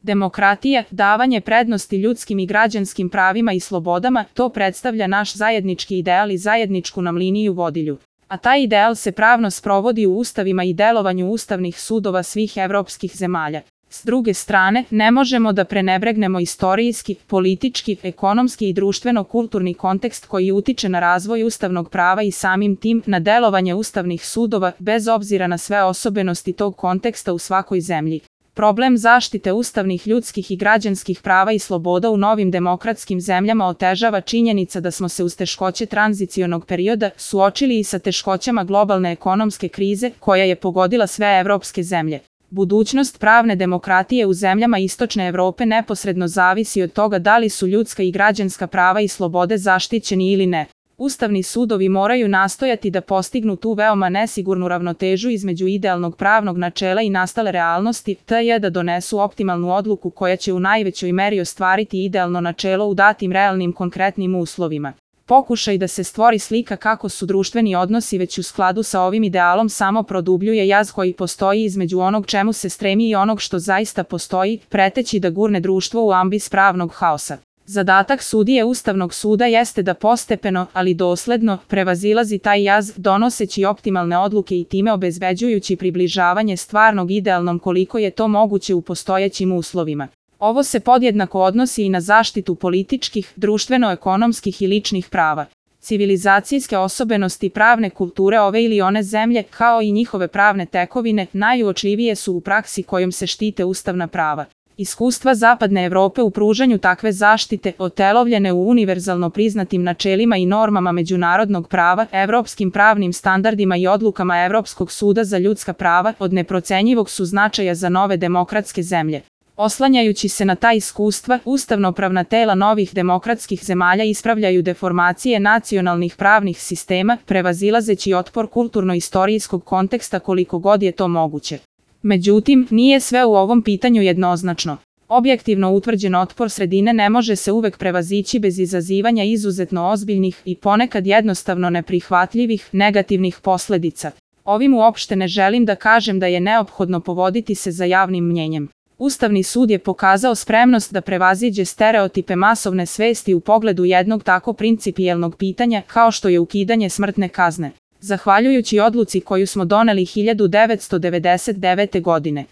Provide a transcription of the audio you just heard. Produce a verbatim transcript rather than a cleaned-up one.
Demokratija, davanje prednosti ljudskim i građanskim pravima i slobodama, to predstavlja naš zajednički ideal i zajedničku nam liniju vodilju. A taj ideal se pravno sprovodi u ustavima i delovanju ustavnih sudova svih evropskih zemalja. S druge strane, ne možemo da prenebregnemo istorijski, politički, ekonomski i društveno-kulturni kontekst koji utiče na razvoj ustavnog prava i samim tim na delovanje ustavnih sudova, bez obzira na sve osobenosti tog konteksta u svakoj zemlji. Problem zaštite ustavnih ljudskih i građanskih prava i sloboda u novim demokratskim zemljama otežava činjenica da smo se uz teškoće tranzicionog perioda suočili i sa teškoćama globalne ekonomske krize koja je pogodila sve evropske zemlje. Budućnost pravne demokratije u zemljama Istočne Evrope neposredno zavisi od toga da li su ljudska i građanska prava i slobode zaštićeni ili ne. Ustavni sudovi moraju nastojati da postignu tu veoma nesigurnu ravnotežu između idealnog pravnog načela i nastale realnosti, te je da donesu optimalnu odluku koja će u najvećoj meri ostvariti idealno načelo u datim realnim konkretnim uslovima. Pokušaj da se stvori slika kako su društveni odnosi već u skladu sa ovim idealom samo produbljuje jaz koji postoji između onog čemu se stremi i onog što zaista postoji, preteći da gurne društvo u ambis pravnog haosa. Zadatak sudije Ustavnog suda jeste da postepeno, ali dosledno, prevazilazi taj jaz, donoseći optimalne odluke i time obezbeđujući približavanje stvarnog idealnom koliko je to moguće u postojećim uslovima. Ovo se podjednako odnosi i na zaštitu političkih, društveno-ekonomskih i ličnih prava. Civilizacijske osobenosti pravne kulture ove ili one zemlje, kao i njihove pravne tekovine, najuočljivije su u praksi kojom se štite ustavna prava. Iskustva Zapadne Evrope u pružanju takve zaštite, otelovljene u univerzalno priznatim načelima i normama međunarodnog prava, evropskim pravnim standardima i odlukama Evropskog suda za ljudska prava, od neprocenjivog su značaja za nove demokratske zemlje. Oslanjajući se na ta iskustva, ustavnopravna tela novih demokratskih zemalja ispravljaju deformacije nacionalnih pravnih sistema, prevazilazeći otpor kulturno-istorijskog konteksta koliko god je to moguće. Međutim, nije sve u ovom pitanju jednoznačno. Objektivno utvrđen otpor sredine ne može se uvek prevazići bez izazivanja izuzetno ozbiljnih i ponekad jednostavno neprihvatljivih negativnih posledica. Ovim uopšte ne želim da kažem da je neophodno povoditi se za javnim mnjenjem. Ustavni sud je pokazao spremnost da prevaziđe stereotipe masovne svesti u pogledu jednog tako principijelnog pitanja kao što je ukidanje smrtne kazne. Zahvaljujući odluci koju smo doneli hiljadu devetsto devedeset devete godine.